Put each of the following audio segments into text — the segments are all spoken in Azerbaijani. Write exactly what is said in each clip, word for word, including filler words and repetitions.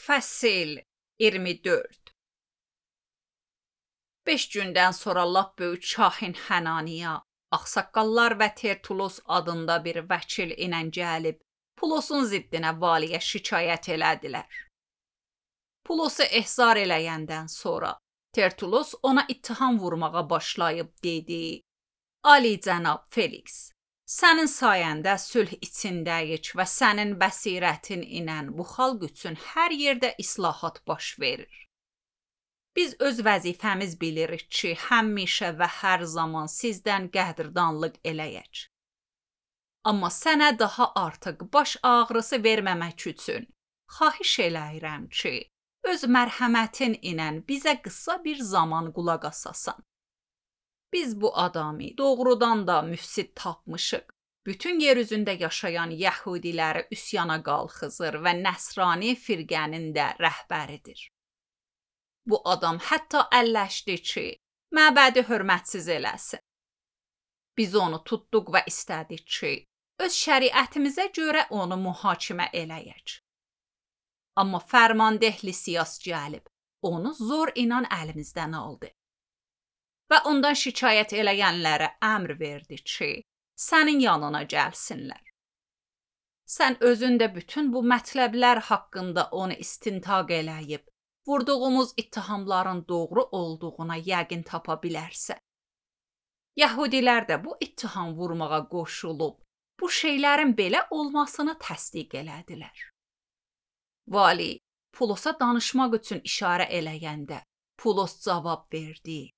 Fəsil iyirmi dörd. Beş gündən sonra lap böyük Şahin Hənaniya, ağsaqqallar və Tertulos adında bir vəkil ilə gəlib, Pulosun ziddinə valiyə şikayət elədilər. Pulosu ehzar eləyəndən sonra Tertulos ona ittiham vurmağa başlayıb dedi: Ali cənab Felix, sənin sayəndə sülh içindəyik və sənin bəsirətin ilə bu xalq üçün hər yerdə islahat baş verir. Biz öz vəzifəmiz bilirik ki, həmişə və hər zaman sizdən qədrdanlıq eləyək. Amma sənə daha artıq baş ağrısı verməmək üçün xahiş eləyirəm ki, öz mərhəmətin ilə bizə qısa bir zaman qulaq asasan. Biz bu adamı doğrudan da müfsid tapmışıq. Bütün yer üzündə yaşayan Yəhudiləri üsyana qalxızır və Nəsrani firqənin də rəhbəridir. Bu adam hətta əlləşdi ki, məbədi hörmətsiz eləsin. Biz onu tutduq və istədik ki, öz şəriətimizə görə onu mühakimə eləyək. Amma fərmandeh Lisias gəlib, onu zor inan əlimizdən aldı. Və ondan şikayət eləyənlərə əmr verdi ki, sənin yanına gəlsinlər. Sən özün də bütün bu mətləblər haqqında onu istintaq eləyib, vurduğumuz ittihamların doğru olduğuna yəqin tapa bilərsə. Yəhudilər də bu ittiham vurmağa qoşulub, bu şeylərin belə olmasını təsdiq elədilər. Vali Pulosa danışmaq üçün işarə eləyəndə, Pulos cavab verdi: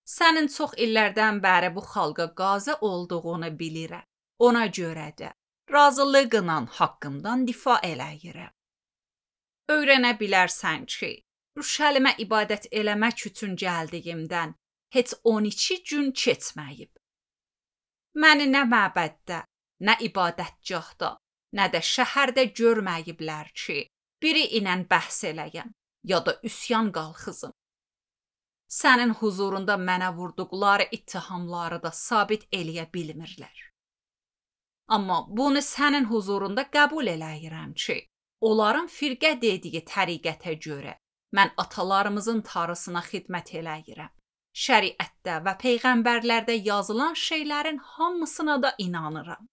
Sənin çox illərdən bəri bu xalqa qazı olduğunu bilirəm. Ona görə də razılıqla haqqımdan difa eləyirəm. Öyrənə bilərsən ki, Rüşəlimə ibadət eləmək üçün gəldiyimdən heç on iki gün keçməyib. Məni nə məbəddə, nə ibadətgahda, nə də şəhərdə görməyiblər ki, biri ilə bəhs eləyəm, ya da üsyan qalxızım. Sənin huzurunda mənə vurduqları ittihamları da sabit eləyə bilmirlər. Amma bunu sənin huzurunda qəbul eləyirəm ki, onların firqə dediyi təriqətə görə mən atalarımızın tarısına xidmət eləyirəm. Şəriətdə və peyğəmbərlərdə yazılan şeylərin hamısına da inanıram.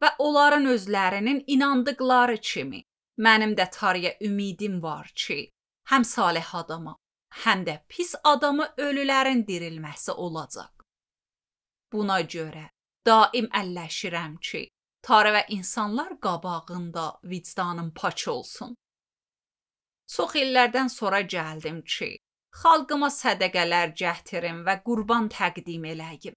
Və onların özlərinin inandıqları kimi, mənim də tarıya ümidim var ki, həm salih adama, həm də pis adamı ölülərin dirilməsi olacaq. Buna görə daim əlləşirəm ki, tarı və insanlar qabağında vicdanım paç olsun. Çox illərdən sonra gəldim ki, xalqıma sədəqələr gətirim və qurban təqdim eləyim.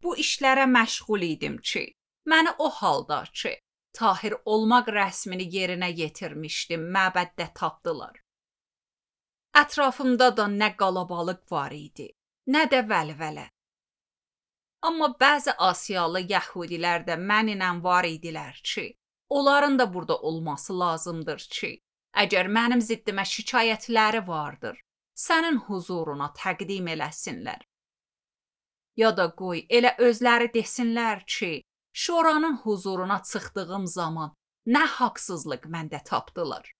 Bu işlərə məşğul idim ki, məni o halda ki, tahir olmaq rəsmini yerinə yetirmişdim, məbəddə tapdılar. Ətrafımda da nə qalabalıq var idi, nə də vəlvələ. Amma bəzi Asiyalı Yəhudilər də mənimlə var idilər ki, onların da burada olması lazımdır ki, əgər mənim ziddimə şikayətləri vardır, sənin huzuruna təqdim eləsinlər. Ya da qoy, elə özləri desinlər ki, şoranın huzuruna çıxdığım zaman nə haqsızlıq məndə tapdılar.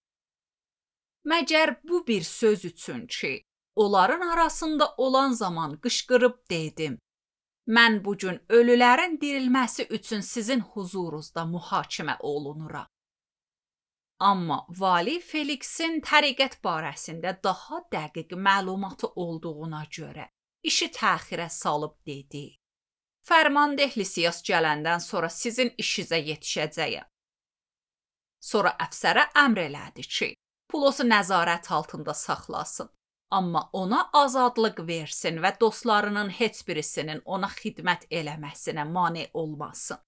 Məgər bu bir söz üçün ki, onların arasında olan zaman qışqırıb dedim, mən bugün ölülərin dirilməsi üçün sizin huzurunuzda mühakimə olunuram. Amma Vali Felixin təriqət barəsində daha dəqiq məlumatı olduğuna görə işi təxirə salıb dedi: Fərmandeh Lisias gələndən sonra sizin işinizə yetişəcəyəm. Sonra əfsərə əmr elədi ki, Pulosu nəzarət altında saxlasın, amma ona azadlıq versin və dostlarının heç birisinin ona xidmət eləməsinə mane olmasın.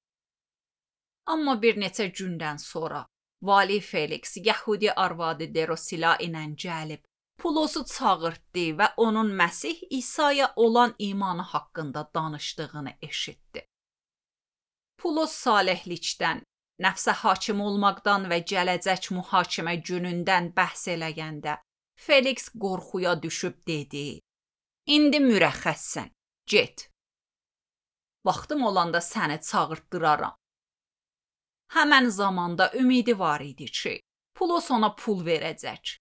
Amma bir neçə gündən sonra Vali Felix Yəhudi arvadı Derosila ilə gəlib, Pulosu çağırtdı və onun Məsih İsa'ya olan imanı haqqında danışdığını eşitdi. Pulos salihlikdən, nəfsə hakim olmaqdan və gələcək mühakimə günündən bəhs eləyəndə, Felix qorxuya düşüb dedi: İndi mürəxxəssən, get. Vaxtım olanda səni çağırtdıraram. Həmən zamanda ümidi var idi ki, Pulos ona pul verəcək.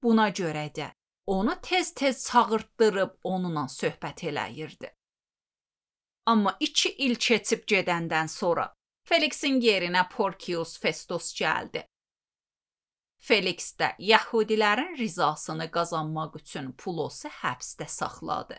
Buna görə də onu tez-tez çağırtdırıb onunla söhbət eləyirdi. Amma iki il keçib gedəndən sonra Felixin yerinə Porcius Festus gəldi. Felix də Yahudilərin rizasını qazanmaq üçün Pulosu həbsdə saxladı.